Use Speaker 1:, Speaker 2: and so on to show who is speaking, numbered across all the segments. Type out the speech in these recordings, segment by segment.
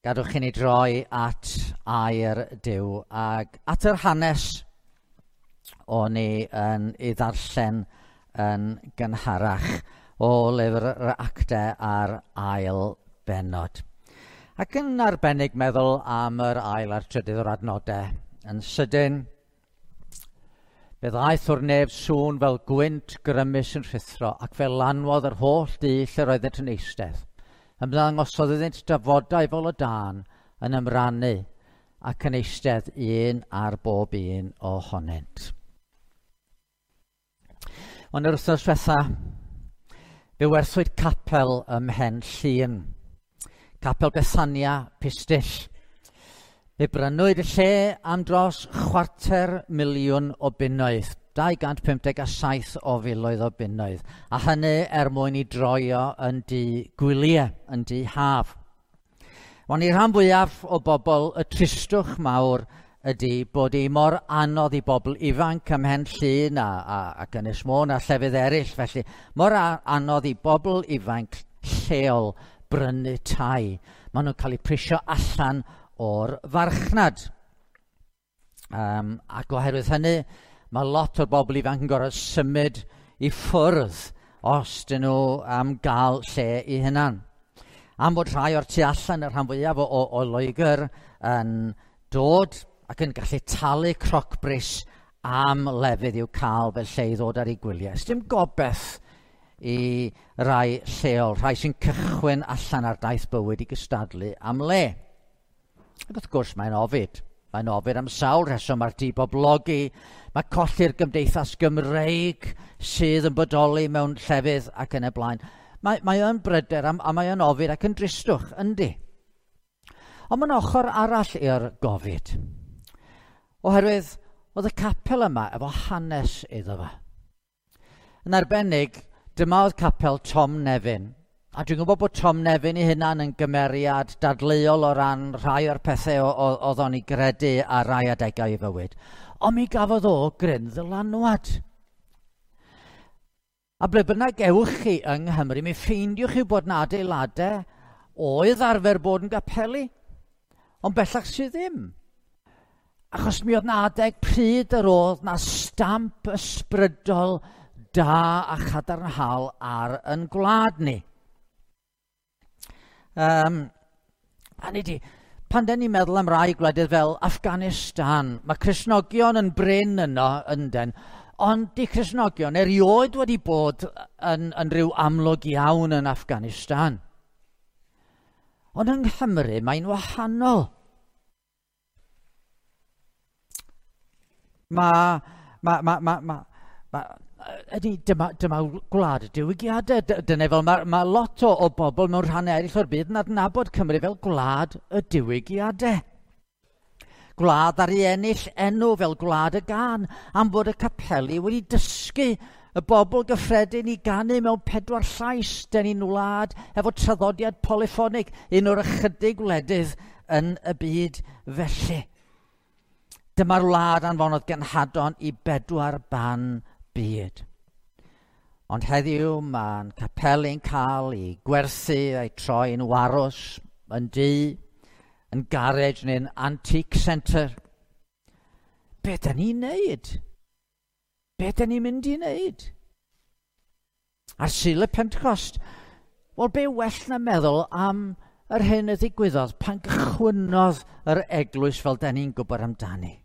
Speaker 1: Gadwch i ni droi at air Duw ac at yr hanes o'n i yn ei ddarllen yn gynharach o lyfr yr Actau a'r ail bennod. Ac yn arbennig meddwl am yr ail a'r trydydd o'r adnodau. Yn sydyn, fe ddaeth o'r nef sŵn fel gwynt grymus yn rhuthro ac fe lanwodd yr holl dŷ lle roeddent yn eistedd. Ymddangosodd iddynt dafodau fel o dân yn ymrannu ac yn eistedd un ar bob un ohonynt. Ond yr wythnos diwetha, fe werthwyd capel ym Mhen Llŷn. Capel Bethania Pistyll. Fe brynwyd y lle am dros 250,000 o bunnoedd, 257 o filoedd o bunnoedd, a hynny er mwyn i droio yn dŷ gwyliau, yn dŷ haf. Ond i'r rhan fwyaf o bobl, y tristwch mawr ydy bod hi mor anodd i bobl ifanc ym Mhen Llŷn ac Ynys Môn a llefydd eraill, felly mor anodd i bobl ifanc lleol brynu tai. Maen nhw'n cael eu prisio allan o'r farchnad. Ac oherwydd hynny, mae lot o'r bobl ifanc yn gorfod symud i ffwrdd os dyn nhw am gael lle i hunan. Am fod rhai o'r tu allan, y rhan fwyaf o Loegr, yn dod ac yn gallu talu crocbris am lefydd i'w cael fel lle i ddod ar eu gwyliau. Sdim gobaith i rai lleol, rhai sy'n cychwyn allan ar daith bywyd i gystadlu am le. Ac wrth gwrs mae'n ofid. Mae'n ofid am sawl rheswm. Mae'r diboblogi, mae colli'r gymdeithas Gymreig sydd yn bodoli mewn llefydd ac yn y blaen. Mae o'n bryder a mae o'n ofid ac yn dristwch, yndi. Ond mae'n ochr arall i'r gofid. Oherwydd oedd y capel yma efo hanes iddo fo. Yn arbennig, dyma oedd capel Tom Nefyn. A dwi'n gwybod bod Tom Nefyn ei hunan yn gymeriad dadleuol o ran rhai o'r pethau oedd o'n ei gredu ar rai adegau ei fywyd. Ond mi gafodd o gryn ddylanwad. A ble bynnag ewch chi yng Nghymru, mi ffeindiwch chi bod 'na adeiladau oedd arfer bod yn gapeli, ond bellach sydd ddim. Achos mi oedd 'na adeg pryd yr oedd 'na stamp ysbrydol da a chadarnhaol ar yn gwlad ni. A ni di, pan den ni'n meddwl am rai gwledydd fel Afghanistan, mae Cristnogion yn brin yno ynden, ond di Cristnogion erioed wedi bod yn rhyw amlwg iawn yn Afghanistan. Ond yng Nghymru mae'n wahanol. Dyma gwlad y diwygiadau. Dyna fel mae lot o bobl mewn rhannau eraill o'r byd yn adnabod Cymru fel gwlad y diwygiadau. Gwlad ar ei ennill enw fel gwlad y gân, am fod y capeli wedi dysgu y bobl gyffredin i ganu mewn 4 llais. Den ni'n wlad efo traddodiad polyffonig, un o'r ychydig wledydd yn y byd felly. Dyma'r wlad anfonodd genhadon i 4 ban byd. Ond heddiw mae'n capeli'n cael ei gwerthu a'i troi'n warws, yn dŷ, yn garej neu'n antique centre. Be da ni'n neud? Be da ni'n mynd i neud? Ar Sul y Pentecost, wel be well na meddwl am yr hyn y ddigwyddodd pan gychwynnodd yr eglwys fel da ni'n gwybod amdani.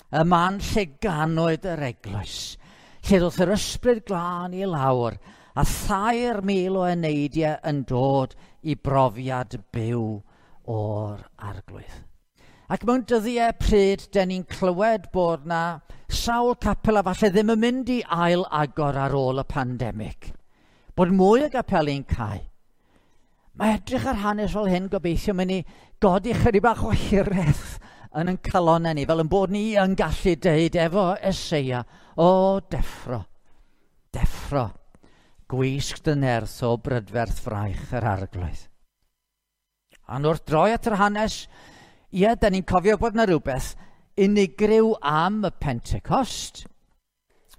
Speaker 1: Y man lle ganwyd yr eglwys, lle ddoth yr ysbryd glân i lawr a 3,000 o eneidiau yn dod i brofiad byw o'r Arglwydd. Ac mewn dyddiau pryd, den ni'n clywed bod na sawl capel a falle ddim yn mynd i ail agor ar ôl y pandemig. Bod mwy o gapeli'n cau. Mae edrych ar hanes fel hyn gobeithio mynd i godi chydig bach o hiraeth yn ein calonnau ni, fel yn bod ni yn gallu deud efo Eseia, o deffro, deffro, gwisg dy nerth o brydferth fraich yr Arglwydd. Ond wrth droi at yr hanes, ie, da ni'n cofio bod yna rhywbeth unigryw am y Pentecost.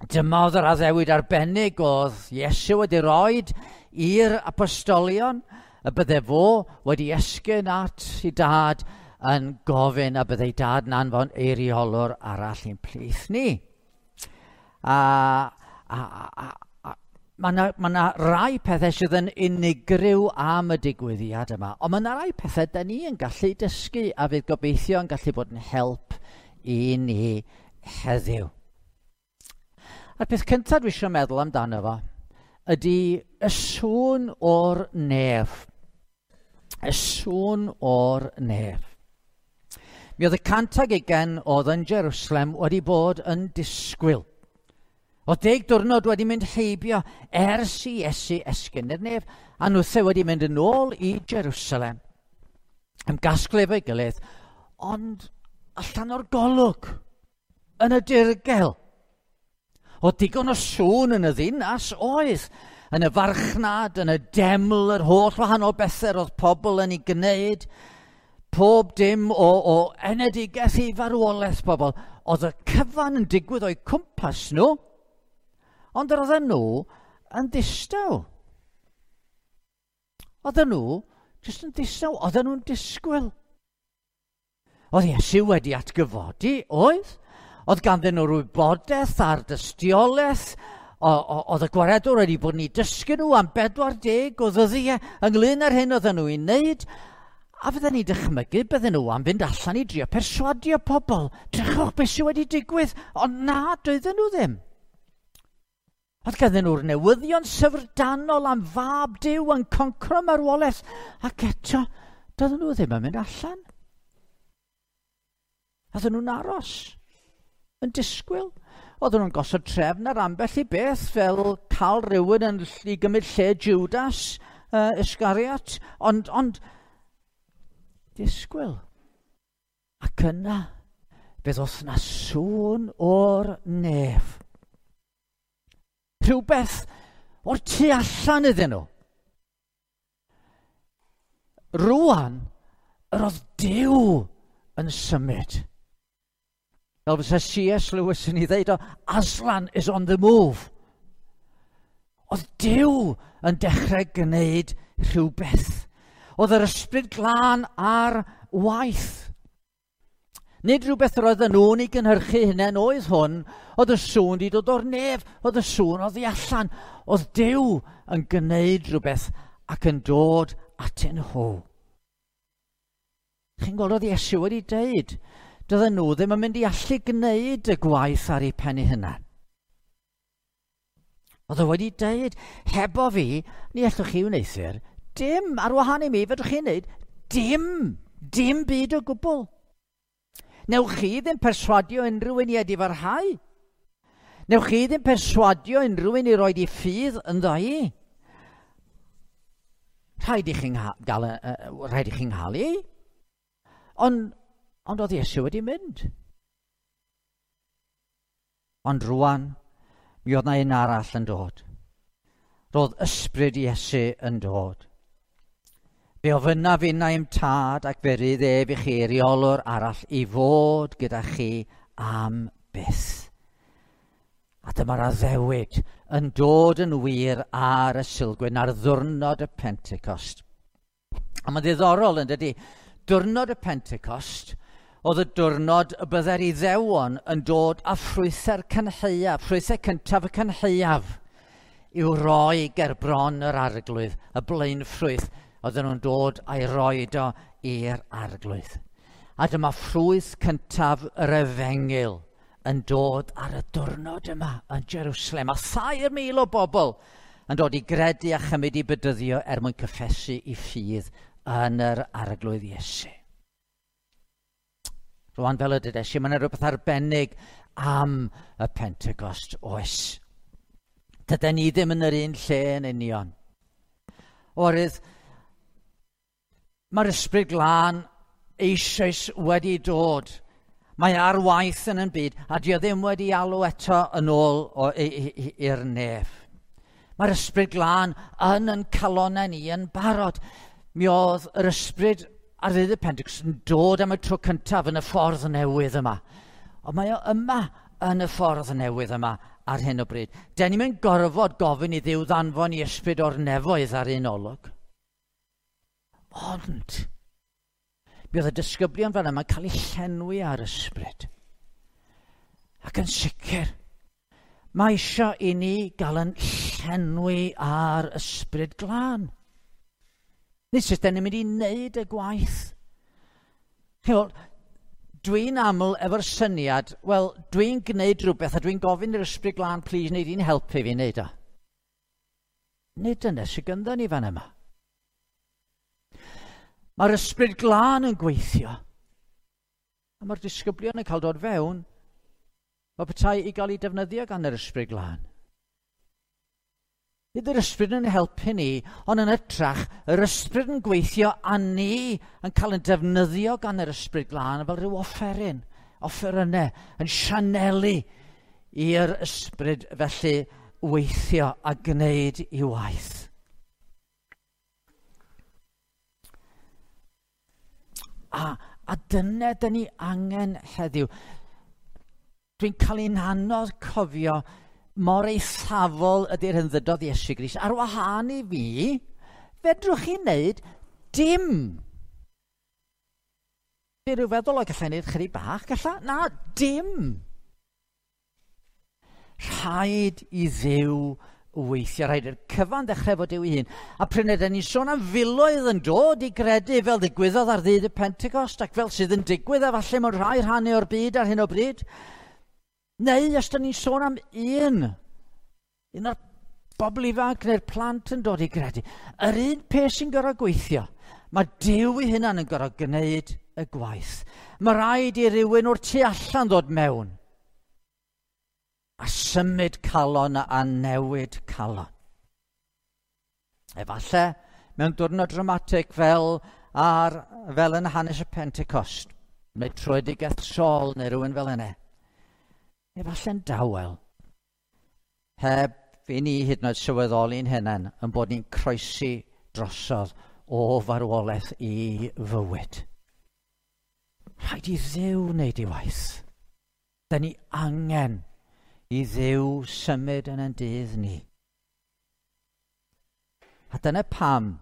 Speaker 1: Dyma oedd yr addewid arbennig oedd Iesu wedi roed i'r apostolion. y bydde fo wedi esgyn at ei dad yn gofyn a bydde ei dad yn anfon eiriolwr arall i'n plith ni. A mae yna ma rai pethau sydd yn unigryw am y digwyddiad yma, ond mae yna rai pethau da ni yn gallu dysgu a fydd gobeithio yn gallu bod yn help i ni heddiw. A'r peth cyntaf dwi eisiau meddwl amdano fo ydy y sŵn o'r nef. Y sŵn o'r nef. Mi oedd y 120 oedd yn Jerusalem wedi bod yn disgwyl. Oedd 10 diwrnod wedi mynd heibio ers i Iesu esgyn i'r nef, a nhwthe wedi mynd yn ôl i Jerusalem. Ymgasglu efo'i gilydd, ond allan o'r golwg, yn y dirgel. Oedd digon o sŵn yn y ddinas, oedd. Yn y farchnad, yn y deml, yr holl wahanol bethau oedd pobl yn ei gwneud. Pob dim o enedigaeth i farwolaeth pobl. Oedd y cyfan yn digwydd o'u cwmpas nhw, ond yr oedden nhw yn ddistaw. Oedden nhw jyst yn ddistaw, oedden nhw'n disgwyl. Oedd Iesu wedi atgyfodi, oedd? Oedd ganddyn nhw'r wybodaeth a'r dystiolaeth, oedd y gwaredwr wedi bod yn ei dysgu nhw am 40 o ddyddiau ynglyn â'r hyn oedden nhw i wneud, a fydden ni'n dychmygu bydden nhw am fynd allan i drio perswadio pobl. Drychwch beth sydd wedi digwydd, ond na, doedden nhw ddim. Oedd ganddyn nhw'r newyddion syfrdanol am fab Duw yn concro marwolaeth, ac eto, doedden nhw ddim yn mynd allan. Oedden nhw'n aros, yn disgwyl. Oedden nhw'n gosod trefn ar ambell i beth, fel cael rhywun yn i gymryd lle Judas Iscariot, ond disgwyl. Ac yna, fe ddoth na sŵn o'r nef. Rhywbeth o'r tu allan iddyn nhw. Rwan, yr oedd Duw yn symud. Fel fysa C.S. Lewis yn ei ddeud o, Aslan is on the move. Oedd Duw yn dechrau gwneud rhywbeth. Oedd yr ysbryd glân ar waith. Nid rhywbeth yr oedden nhw'n ei gynhyrchu hunain oedd hwn, oedd y sŵn wedi dod o'r nef, oedd y sŵn oddi allan. Oedd Duw yn gwneud rhywbeth ac yn dod atyn nhw. Chi'n gweld oedd Iesu wedi deud, doedden nhw ddim yn mynd i allu gwneud y gwaith ar eu pen eu hunain. Oedd o wedi deud, hebo fi, ni allwch chi wneuthur dim, ar wahân i mi, fedrwch chi wneud dim byd o gwbl. Newch chi ddim perswadio unrhyw un i edifarhau. Newch chi ddim perswadio unrhyw un i roed i ffydd ynddo i. Rhaid i chi'n gael i. Ond oedd Iesu wedi mynd. Ond rwan, mi oedd na un arall yn dod. Roedd ysbryd Iesu yn dod. Fe ofynnaf innau i'm tad ac fe rydd ef i chi reolwr arall i fod gyda chi am byth. A dyma'r addewid yn dod yn wir ar y Sulgwyn, ar ddiwrnod y Pentecost. A mae'n ddiddorol yn dydi, diwrnod y Pentecost oedd y diwrnod y byddai'r Iddewon yn dod â ffrwythau'r cynhaeaf, ffrwythau cyntaf y cynhaeaf, i'w roi ger bron yr arglwydd, y blaenffrwyth, oedden nhw'n dod a'i roed o i'r arglwydd. A dyma ffrwyth cyntaf yr efengyl yn dod ar y diwrnod yma yn Jerusalem. A 3,000 o bobl yn dod i gredu a chymryd i bedyddio er mwyn cyffesu i ffydd yn yr arglwydd Iesu. Rwan fel y dydes i, mae yna rhywbeth arbennig am y Pentecost oes. Dyden ni ddim yn yr un lle yn union. Oherwydd mae'r ysbryd glân eisoes wedi dod. Mae ar waith yn y byd, a dio ddim wedi alw eto yn ôl i'r nef. Mae'r ysbryd glân yn calonnau ni yn barod. Mi oedd yr ysbryd ar ddydd y Pentecost yn dod am y tro cyntaf yn y ffordd newydd yma. Ond mae o yma yn y ffordd newydd yma ar hyn o bryd. Den ni'n gorfod gofyn i Dduw ddanfon i ysbryd o'r nefoedd ar un olwg. Ond, mi oedd y disgyblion fan yma'n cael eu llenwi ar ysbryd. Ac yn sicr, mae eisiau i ni gael yn llenwi ar ysbryd glân. Nid sut da ni'n mynd i wneud y gwaith. Chi'n dwi'n aml efo'r syniad, wel, dwi'n gwneud rhywbeth a dwi'n gofyn i'r ysbryd glân, please, wneud i'n helpu fi wneud o. Nid dyna sydd gyda ni fan yma. Mae'r ysbryd glân yn gweithio. A mae'r disgyblion yn cael dod fewn. Mae petai i gael ei defnyddio gan yr ysbryd glân. Nid yr ysbryd yn helpu ni, ond yn ytrach, yr ysbryd yn gweithio a ni yn cael yn defnyddio gan yr ysbryd glân fel rhyw offeryn, offerynnau, yn sianelu i'r ysbryd felly weithio a gwneud i waith. A dyna dyn ni angen heddiw. Dwi'n cael ein anodd cofio mor eithafol ydy'r hyn ddydodd Iesu Grist. Ar wahân i fi, fedrwch chi wneud dim. Dwi'n rhyw feddwl o gallai wneud chydig bach, galla? Na, dim. Rhaid i Dduw weithio, rhaid i'r cyfan ddechrau fod Duw ei hun. A pryd ydyn ni'n sôn am filoedd yn dod i gredu fel ddigwyddodd ar ddydd y Pentecost ac fel sydd yn digwydd a falle mewn rhai rhannau o'r byd ar hyn o bryd. Neu os ydyn ni'n sôn am un o'r bobl ifanc neu'r plant yn dod i gredu. Yr un peth sy'n gorfod gweithio, mae Duw ei hunan yn gorfod gwneud y gwaith. Mae rhaid i rywun o'r tu allan ddod mewn a symud calon a newid calon. Efallai mewn diwrnod dramatig fel yn hanes y Pentecost, neu tröedigaeth Saul neu rhywun fel yna. Efallai'n dawel, heb i ni hyd yn oed sylweddoli'n hunain yn bod ni'n croesi drosodd o farwolaeth i fywyd. Rhaid i Dduw wneud ei waith. Da ni angen i Dduw symud yn ein dydd ni. A dyna pam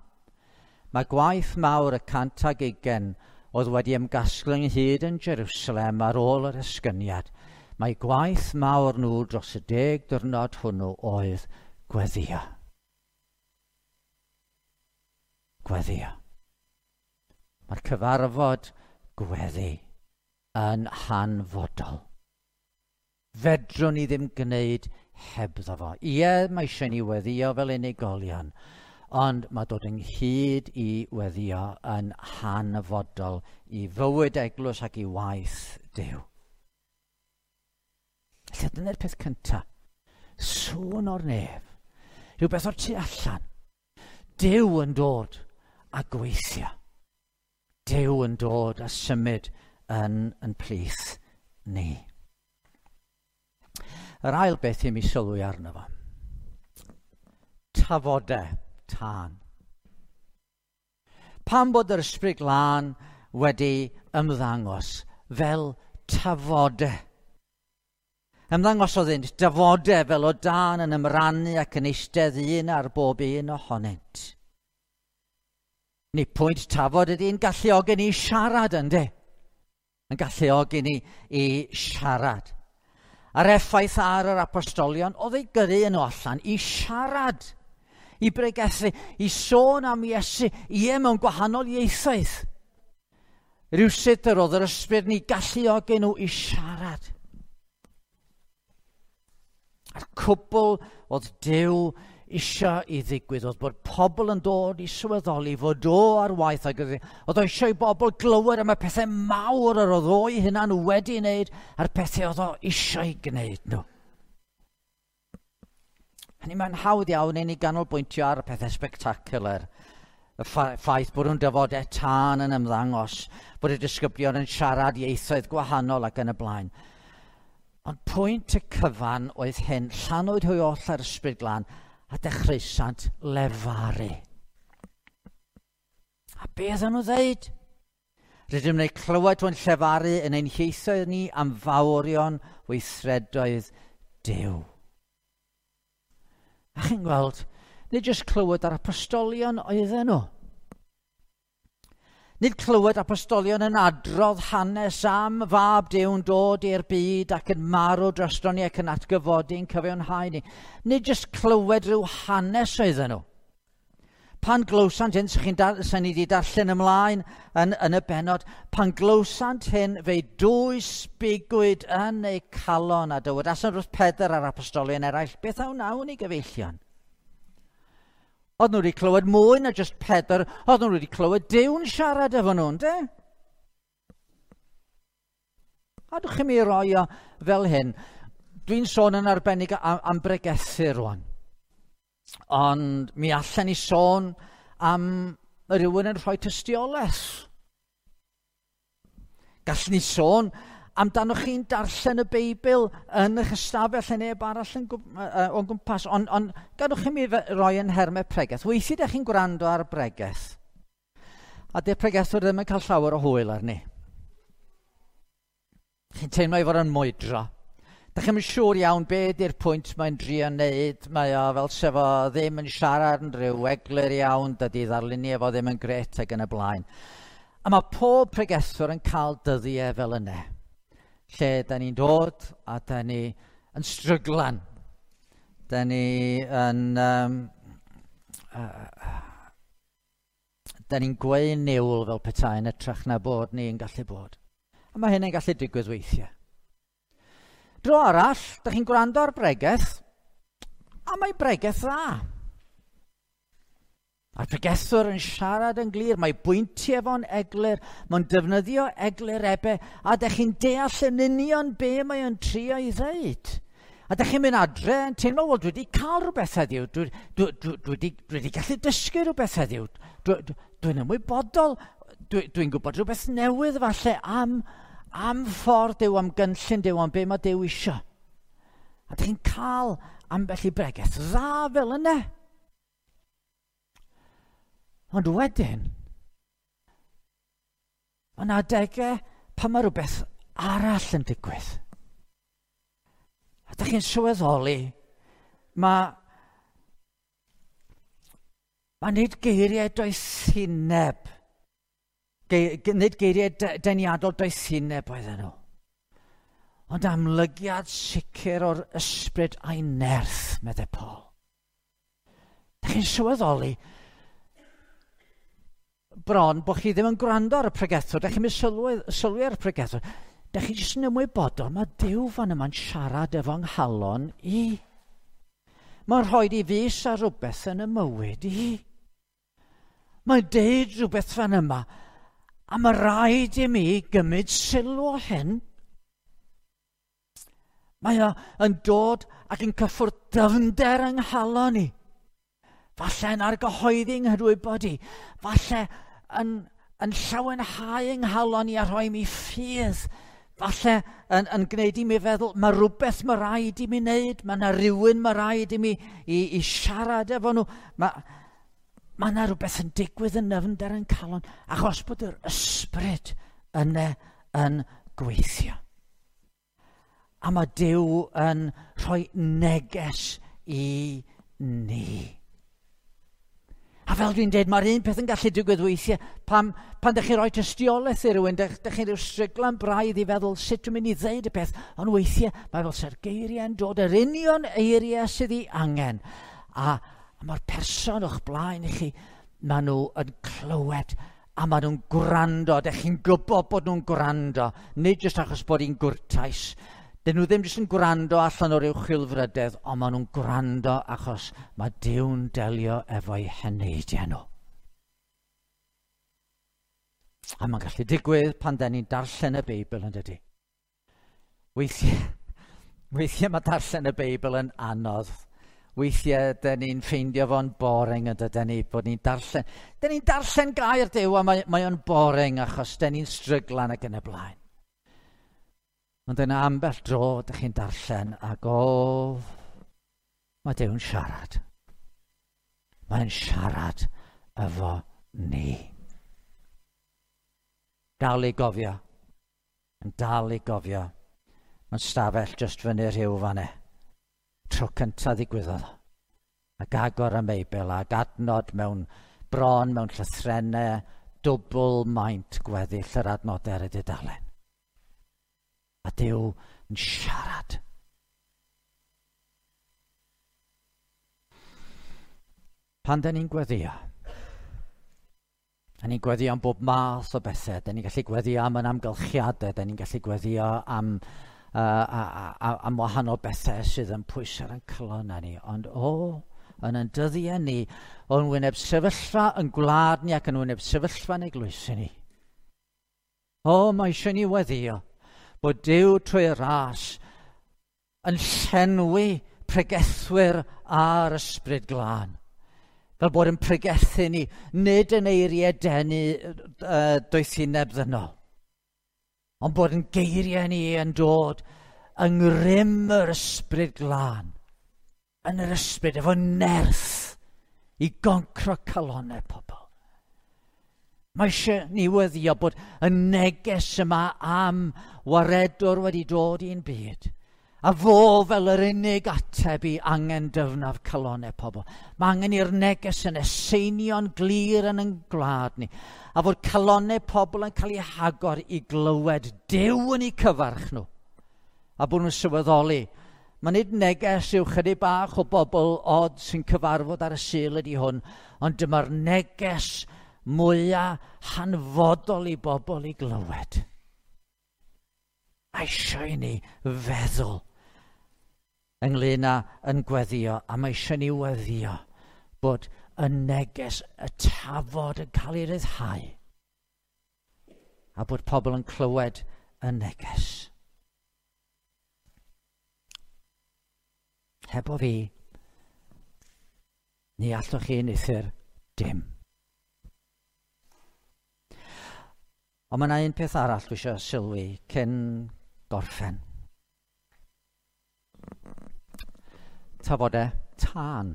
Speaker 1: mae gwaith mawr y 120 oedd wedi ymgasglu ynghyd yn Jerusalem ar ôl yr esgyniad. Mae gwaith mawr nhw dros y 10 diwrnod hwnnw oedd gweddio. Gweddio. Mae'r cyfarfod gweddi yn hanfodol. Fedrwn ni ddim gwneud hebddo fo. Ie, mae eisiau ni weddio fel unigolion, ond mae dod ynghyd i weddio yn hanfodol i fywyd eglwys ac i waith Duw. Felly dyna'r peth cyntaf. Sŵn o'r nef. Rhywbeth o'r tu allan. Duw yn dod a gweithio. Duw yn dod a symud yn plith ni. Yr ail beth i mi sylwi arno fo. Tafodau tân. Pam bod yr ysbryd glân wedi ymddangos fel tafodau? Ymddangosodd iddynt dafodau fel o dân yn ymrannu ac yn eistedd un ar bob un ohonynt. Ni pwynt tafod ydy'n galluogi ni siarad, ynddi? Yn galluogi ni i siarad. A'r effaith ar yr apostolion oedd ei gyrru nhw allan i siarad, i bregethu, i sôn am Iesu, ie mewn gwahanol ieithoedd. Rhywsut yr oedd yr ysbryd ni galluogi nhw i siarad. A'r cwbl oedd Duw eisiau i ddigwydd, oedd bod pobl yn dod i sylweddoli fod o ar waith, ac oedd o eisiau i bobl glywed am y pethau mawr yr oedd o'i hunan wedi wneud a'r pethau oedd o eisiau gwneud nhw. Hynny mae'n hawdd iawn i ni ganolbwyntio ar y pethau spectacular, y ffaith bod nhw'n dyfodau tân yn ymddangos, bod y disgyblion yn siarad ieithoedd gwahanol ac yn y blaen. Ond pwynt y cyfan oedd hyn, llanwyd hwy oll ar ysbryd glân, a dechreusant lefaru. A beth o'n nhw ddeud? Rydym yn ei clywed o'n llefaru yn ein hieithoedd ni am fawrion weithredoedd Duw. A chi'n gweld, nid jyst clywed ar apostolion oedden nhw. Nid clywed apostolion yn adrodd hanes am fab Duw'n dod i'r byd ac yn marw drosto ni ac yn atgyfodi'n cyfiawnhau ni. Nid jyst clywed rhyw hanes oedden nhw. Pan glywsant hyn, sy'n ni wedi darllen ymlaen yn y bennod, pan glywsant hyn, fe'i dwysbigwyd yn eu calon a dywedasant wrth Pedr a'r apostolion eraill, beth a wnawn ni gyfeillion? Oedd nhw wedi clywed mwy na jyst Pedr, oedd nhw wedi clywed Duw'n siarad efo nhw, yndê? A dwch chi mi roi o fel hyn. Dwi'n sôn yn arbennig am bregethu rwan. Ond mi allan ni sôn am rhywun yn rhoi tystiolaeth. Gallwn ni sôn amdano chi'n darllen y Beibl yn eich ystafell neu neb arall yn o'n gwmpas, ond gadwch chi mi roi yn nhermau pregeth. Weithiau ydych chi'n gwrando ar bregeth, a dy'r pregethwr ddim yn cael llawer o hwyl arni. Chi'n teimlo ei fod yn mwydro. Dych chi'm yn siŵr iawn be ydy'r pwynt mae'n drio wneud. Mae o fel sef o ddim yn siarad yn rhyw eglur iawn, dydy ddarluniau fo ddim yn gret ac yn y blaen. A mae pob pregethwr yn cael dyddiau fel yna, lle da ni'n dod a da ni yn stryglan. Da ni yn... da ni'n gweu niwl fel petai yn ytrach na bod ni'n gallu bod. A mae hynny'n gallu digwydd weithiau. Dro arall, da chi'n gwrando ar bregeth, a mae bregeth dda. Mae'r pregethwr yn siarad yn glir, mae bwyntiau fo'n eglur, mae'n defnyddio eglurebau, a da chi'n deall yn union be mae o'n trio i ddeud. A da chi'n mynd adre yn teimlo, wel, dwi wedi cael rhywbeth heddiw, dwi wedi gallu dysgu rhywbeth heddiw, dwi'n ymwybodol, dwi'n gwybod rhywbeth newydd falle am ffordd Duw, am gynllun Duw, am be mae Duw isio. A da chi'n cael ambell i bregeth dda fel yna. Ond wedyn, mae yna adegau pan mae rhywbeth arall yn digwydd. A da chi'n sylweddoli, mae nid geiriau doethineb, nid geiriau deniadol doethineb oedden nhw, ond amlygiad sicr o'r ysbryd a'i nerth, meddai Paul. Da chi'n sylweddoli bron bod chi ddim yn gwrando ar y pregethwr, da chi'n mynd sylwi ar y pregethwr, da chi jyst yn ymwybodol, mae Duw fan yma'n siarad efo nghalon i. Mae'n rhoi i fys ar rhywbeth yn y mywyd i. Mae'n deud rhywbeth fan yma, a mae rhaid i mi gymryd sylw o hyn. Mae o yn dod ac yn cyffwrdd dyfnder yng nghalon i. Falle yn argyhoeddi nghydwybod i. Falle yn llawenhau yng nghalon i a rhoi mi ffydd. Falle yn gwneud i mi feddwl, mae rhywbeth mae rhaid i mi wneud, mae yna rhywun mae rhaid i mi i siarad efo nhw. Mae yna rhywbeth yn digwydd yn nyfnder yn calon, achos bod yr ysbryd yna yn gweithio. A mae Duw yn rhoi neges i ni. A fel dwi'n dweud, mae'r un peth yn gallu digwydd weithiau pan ydych chi'n rhoi tystiolaeth i rywun, dych chi'n rhyw stryglan braidd i feddwl sut dwi'n mynd i ddeud y peth, ond weithiau mae fel se'r geiriau'n dod, yr union eiriau sydd ei angen. A mae'r person o'ch blaen i chi, maen nhw yn clywed a maen nhw'n gwrando. Dych chi'n gwybod bod nhw'n gwrando, nid jyst achos bod hi'n gwrtais. Dyn nhw ddim jyst yn gwrando allan o'r uwch chwilfrydedd, ond maen nhw'n gwrando achos mae Duw'n delio efo'u heneidiau nhw. A mae'n gallu digwydd pan da ni'n darllen y Beibl yn dydy. Weithiau mae darllen y Beibl yn anodd. Weithiau da ni'n ffeindio fo'n boring yn dydyn ni, bod ni'n darllen. Da ni'n darllen gair Duw a mae o'n boring achos da ni'n stryglan ac yn y blaen. Ond yna ambell dro ydych chi'n darllen ac mae Duw'n siarad. Mae'n siarad efo ni. Dal i gofio. Yn dal i gofio. Mae'n stafell jyst fyny rhyw fan e. Tro cyntaf ddigwyddodd. Ac agor y Beibl ac adnod mewn bron, mewn llythrennau dwbl maint gweddill yr adnodau ar y dudalen. A Duw yn siarad. Pan da ni'n gweddio, da ni'n gweddio am bob math o bethau, da ni'n gallu gweddio am yn amgylchiadau, da ni'n gallu gweddio am, am wahanol bethau sydd yn pwysau ar ein calonnau ni. Ond o, yn yn dyddiau ni, o'n wyneb sefyllfa yn gwlad ni ac yn wyneb sefyllfa yn eglwysi ni. O, mae eisiau ni weddio bod Duw trwy ras yn llenwi pregethwyr a'r ysbryd glân. Fel bod yn pregethu ni, nid yn eiriau denu doethineb ddynol, ond bod yn geiriau ni yn dod yng ngrym yr ysbryd glân, yn yr ysbryd efo nerth i goncro calonnau pobl. Mae eisiau ni weddio bod y neges yma am waredwr wedi dod i'n byd. A fo fel yr unig ateb i angen dyfnaf calonnau pobl. Mae angen i'r neges yn eseinio'n glir yn ein gwlad ni. A fod calonnau pobl yn cael eu hagor i glywed Duw yn eu cyfarch nhw. A bod nhw'n sylweddoli. Mae nid neges yw chydig bach o bobl od sy'n cyfarfod ar y Sul ydy hwn, ond dyma'r neges mwyaf hanfodol i bobl i glywed. A eisiau i ni feddwl ynglyn â yn gweddio, a mae eisiau ni weddio bod y neges, y tafod yn cael ei ryddhau, a bod pobl yn clywed y neges. Hebo fi, ni allwch chi wneuthur dim. Ond mae yna un peth arall dwi eisiau sylwi cyn gorffen. Tafodau tân.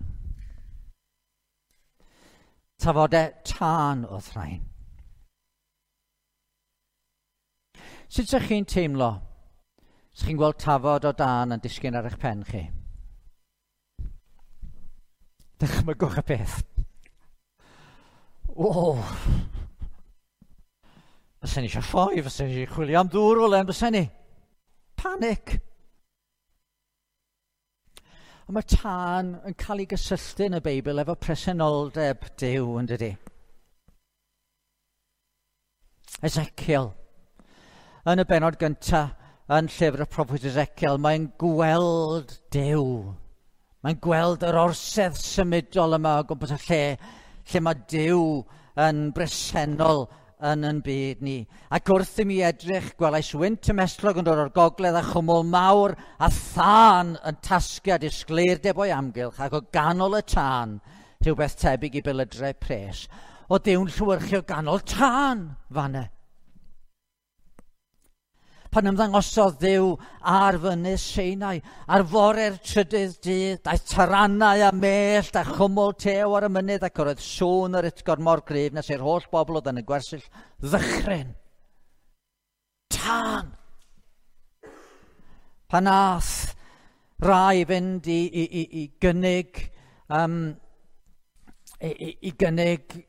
Speaker 1: Tafodau tân oedd rhain. Sut ydych chi'n teimlo? Sut chi'n gweld tafod o dân yn disgyn ar eich pen chi? Dychmygwch y peth. O! Fysen ni eisiau ffoi, fysen ni eisiau chwilio am ddŵr o le, fysen ni. Panic! Ond mae tân yn cael ei gysylltu yn y Beibl efo presenoldeb Duw, yn dydi? Ezekiel. Yn y bennod gyntaf, yn llyfr y proffwyd Ezekiel, mae'n gweld Duw. Mae'n gweld yr orsedd symudol yma o gwmpas y lle, lle mae Duw yn bresennol yn yn byd ni. Ac wrth i mi edrych, gwelais wynt ymhestlog yn dod o'r gogledd a chwmwl mawr a thân yn tasgu a disgleirdeb o'i amgylch, ac o ganol y tân, rhywbeth tebyg i belydrau pres. O Duw'n llewyrchu o ganol tân fanne. Pan ymddangosodd Dduw ar fynydd Sinai, ar fore'r trydydd dydd, daeth taranau a mellt a chwmwl tew ar y mynydd, ac yr oedd sŵn yr utgorn mor gryf nes i'r holl bobl oedd yn y gwersyll ddychryn. Tân! Pan ath rai fynd i gynnig i gynnig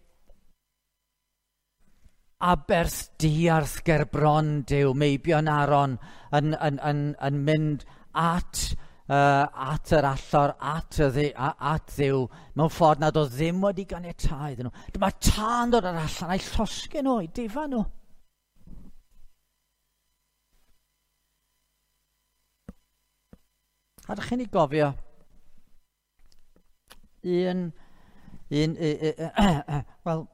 Speaker 1: aberth diarth ger bron Duw, meibion Aaron yn mynd at yr allor, at Dduw, mewn ffordd nad oedd ddim wedi ganiatáu iddyn nhw. Dyma tân dod ar allan a'i llosgu nhw, a'i difa nhw. A ydych chi'n ei gofio? Wel,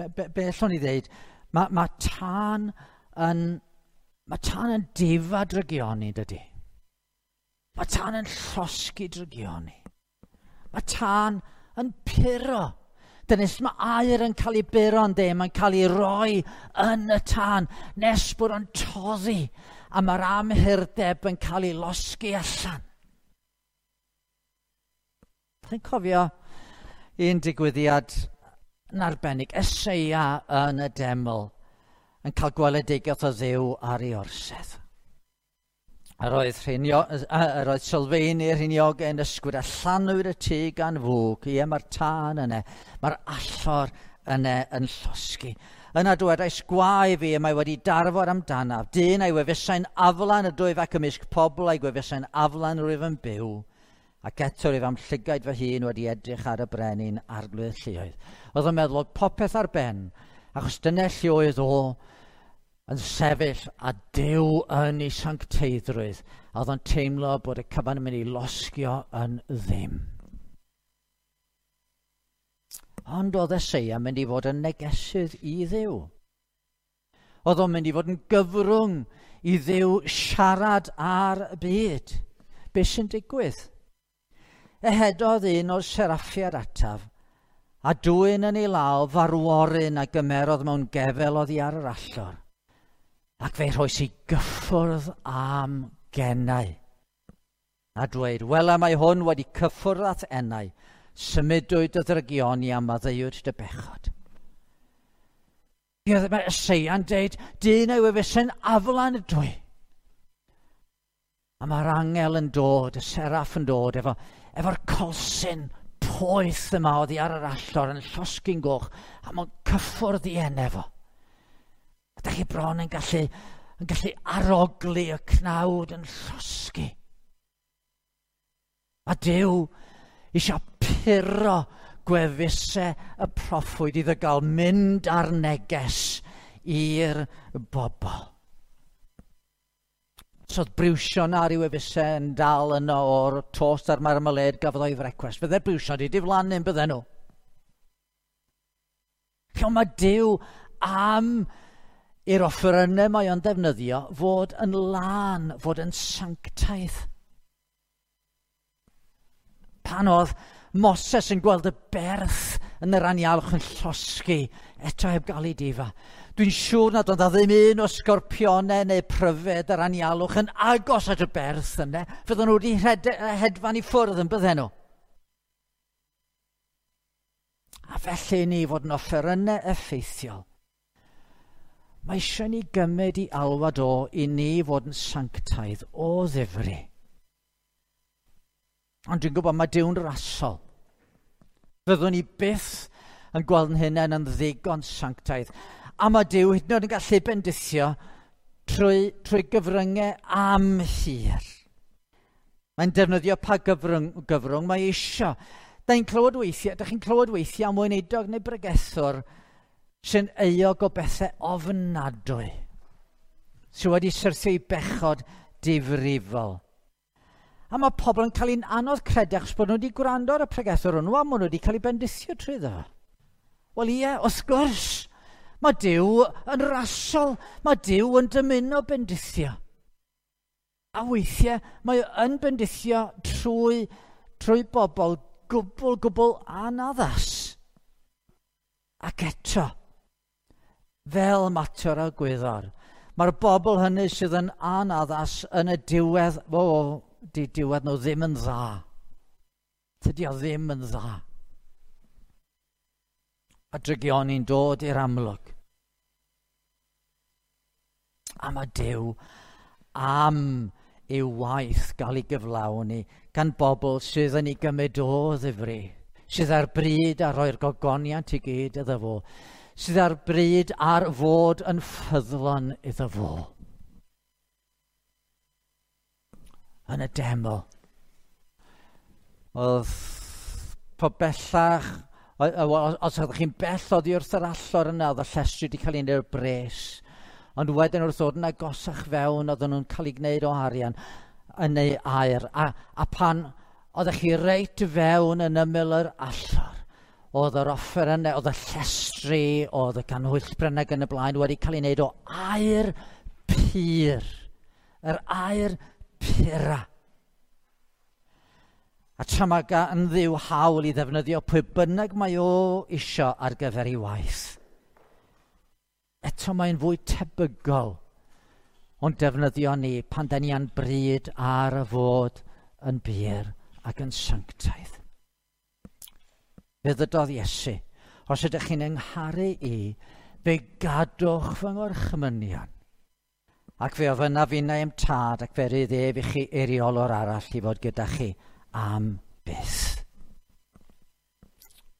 Speaker 1: be allwn ni ddeud? Mae tân yn difa drygioni, dydy. Mae tân yn llosgi drygioni. Mae tân yn puro. Dyna sut mae aer yn cael ei buro, ynddi? Mae'n cael ei roi yn y tân nes bod o'n toddi, a mae'r amhurdeb yn cael ei losgi allan. Chi'n cofio un digwyddiad yn arbennig, Eseia yn y deml, yn cael gweledigaeth o Dduw ar ei orsedd. Yr oedd sylfeini'r rhiniogau yn ysgwyd a llanwyd y tŷ gan fwg. Ie, mae'r tân yna, mae'r allor yna yn llosgi. Yna dywedais, gwae fi, y mae wedi darfod amdanaf. Dyn a'i wefusau'n aflan ydwyf ac ymysg pobl a'i gwefusau'n aflan rwyf yn byw. Ac eto rwyf am llygaid fy hun wedi edrych ar y brenin arglwydd lluoedd. Oedd o'n meddwl oedd popeth ar ben, achos dyna lle oedd o yn sefyll a Duw yn ei sancteiddrwydd. A oedd o'n teimlo bod y cyfan yn mynd i losgio yn ddim. Ond oedd Eseia yn mynd i fod yn negesydd i Dduw. Oedd o'n mynd i fod yn gyfrwng i Dduw siarad ar y byd. Be sy'n digwydd? Ehedodd un o'r seraffiad ataf, a dwyn yn ei law farworyn a gymerodd mewn gefel oddi ar yr allor, ac fe rhoes i gyffwrdd am gennau. A dweud, wela mae hwn wedi cyffwrdd at enau, symudwyd dy ddrygioni a maddeuwyd dy bechod. Mae Eseia'n deud, dyn yw efe sy'n aflan ydw i. A mae'r angel yn dod, y seraff yn dod, efo'r colsyn poeth yma oddi ar yr allor yn llosgi'n goch, a mae'n cyffwrdd i enau fo. A da chi bron yn gallu arogli y cnawd yn llosgi. A Duw eisiau puro gwefusau y proffwyd iddo gael mynd ar neges i'r bobl. So oedd briwsion ar ei wefusau yn dal yno o'r tost a'r marmalade gafodd o'i frecwast. Fydde'r briwsion wedi diflannu bydden nhw. Lle mae Duw am i'r offerynnau mae o'n defnyddio fod yn lân, fod yn sanctaidd. Pan oedd Moses yn gweld y berth yn yr anialwch yn llosgi, eto heb gael ei difa. Dwi'n siŵr nad oedd ddim un o sgorpionau neu pryfed yr anialwch yn agos at y berth yna. Fydden nhw wedi hedfan i ffwrdd yn bydden nhw. A felly ni fod yn offerynnau effeithiol. Mae eisiau ni gymryd i alwad o i ni fod yn sanctaidd o ddifri. Ond dwi'n gwybod mae Duw'n rasol. Fyddwn ni byth yn gweld yn hunain yn ddigon sanctaidd. A mae Duw hyd yn oed yn gallu bendithio trwy gyfryngau amhur. Mae'n defnyddio pa gyfrwng mae eisiau. Da chi'n clywed weithiau am weinidog neu bregethwr sy'n euog o bethau ofnadwy, sydd wedi syrthio i bechod difrifol. A mae pobl yn cael ein anodd credu achos bod nhw wedi gwrando ar y pregethwr hwnnw a maen nhw wedi cael eu bendithio trwyddo. Wel ie, wrth gwrs, mae Duw yn rasol, mae Duw yn dymuno bendithio. A weithiau mae yn bendithio trwy bobl gwbl anaddas. Ac eto, fel mater o gwyddor, mae'r bobl hynny sydd yn anaddas yn y diwedd, di diwedd nhw ddim yn dda. Tydi o ddim yn dda. A drygioni'n dod i'r amlwg. A mae Duw am i'w waith gael ei gyflawni gan bobl sydd yn ei gymryd o ddifri, sydd ar bryd ar roi'r gogoniant i gyd iddo fo, sydd ar bryd ar fod yn ffyddlon iddo fo. Yn y deml, oedd po bellach, os oeddech chi'n bell oddi wrth yr allor yna, oedd y llestri wedi cael ei wneud o'r bres. Ond wedyn wrth ddod yn agosach fewn, oedden nhw'n cael ei gwneud o arian yn ei aer. A pan oeddech chi reit fewn yn ymyl yr allor, oedd yr offer yna, oedd y llestri, oedd y canhwyllbren ac yn y blaen wedi cael ei wneud o aer pur. Yr aer pura. A tra mae gan Dduw hawl i ddefnyddio pwy bynnag mae o isio ar gyfer ei waith. Eto mae'n fwy tebygol ond defnyddio ni pan da ni a'n bryd ar y fod yn bur ac yn sanctaidd. Fe ddydodd Iesu, os ydych chi'n yngharu i, fe gadwch fy ngorchmynion. Ac fe ofynnaf finnau i'm tad ac fe rydd ef i chi eiriolwr arall i fod gyda chi am byth.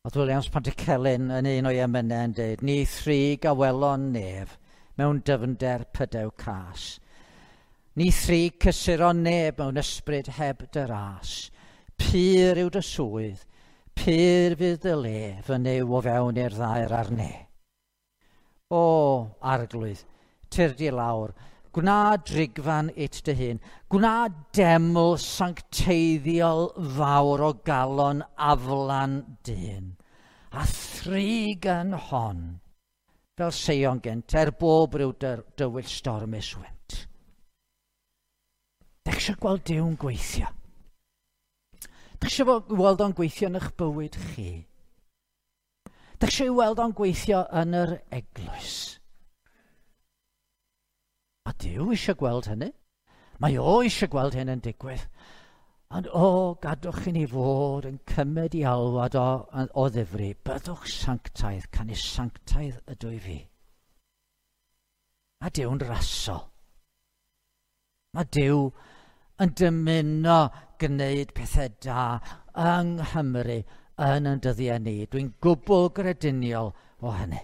Speaker 1: Oedd Williams Pantycelyn yn un o'i emynau yn dweud, ni thrig a welon nef mewn dyfnder pydew cas. Ni thrig cysuron neb mewn ysbryd heb dy ras. Pur yw dy swydd, pur fydd dy le, fy Nuw o fewn i'r ddaear a'r ne. O, Arglwydd, tyrd i lawr, gwna drigfan it dy hun, gwna deml sancteiddiol fawr o galon aflan dyn, a thrig yn hon, fel Seion gynt, er bob rhyw dywyll stormus wynt. Dych eisiau gweld Duw'n gweithio? Dych eisiau weld o'n gweithio yn eich bywyd chi? Dych eisiau weld o'n gweithio yn yr eglwys? A Duw eisiau gweld hynny. Mae o eisiau gweld hyn yn digwydd. Ond o, gadwch i ni fod yn cymryd i alwad o ddifri. Byddwch sanctaidd, canys sanctaidd ydw i fi. Mae Duw'n rasol. Mae Duw yn dymuno gwneud pethau da yng Nghymru yn ein dyddiau ni. Dwi'n gwbl grediniol o hynny.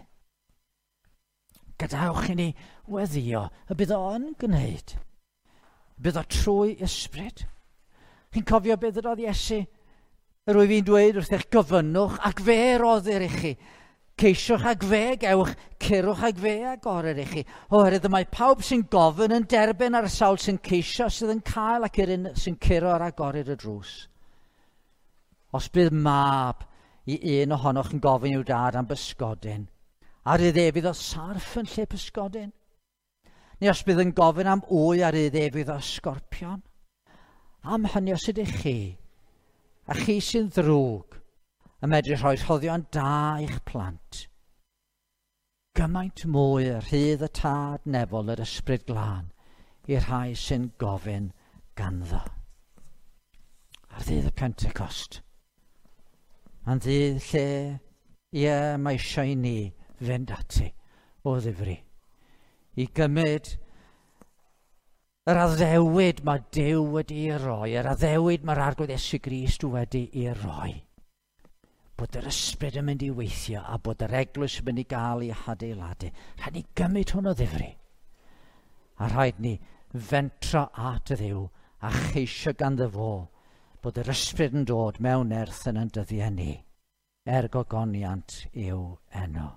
Speaker 1: Gadewch i ni weddio y bydd o'n gwneud. Bydd o trwy ysbryd. Chi'n cofio beth ydodd Iesu? Yr wyf fi'n dweud wrth eich gofynnwch ac fe roddir i chi. Ceisiwch ac fe gewch, curwch ac fe agorir i chi. Oherwydd y mae pawb sy'n gofyn yn derbyn a'r sawl sy'n ceisio sydd yn cael ac yr un sy'n curo ar agorir y drws. Os bydd mab i un ohonoch yn gofyn i'w dad am bysgodyn, ar iddo ef fydd o sarff yn lle pysgodyn? Neu os bydd yn gofyn am wy ar iddo ef fydd o sgorpion? Am hynny os ydych chi, a chi sy'n ddrwg, yn medru rhoi rhoddion da i'ch plant, gymaint mwy y rhydd y tad nefol yr ysbryd glân i'r rhai sy'n gofyn ganddo. Ar ddydd y Pentecost, mae'n ddydd lle, ie, mae eisiau i ni fynd ati o ddifri i gymryd yr addewid mae Duw wedi'i roi, yr addewid mae'r Arglwydd Iesu Grist wedi'i roi. Bod yr ysbryd yn mynd i weithio a bod yr eglwys yn mynd i gael ei hadeiladu. Rhaid ni gymryd hwn o ddifri. A rhaid ni fentro at y Dduw a cheisio ganddo fo bod yr ysbryd yn dod mewn nerth yn ein dyddiau ni, er gogoniant i'w enw.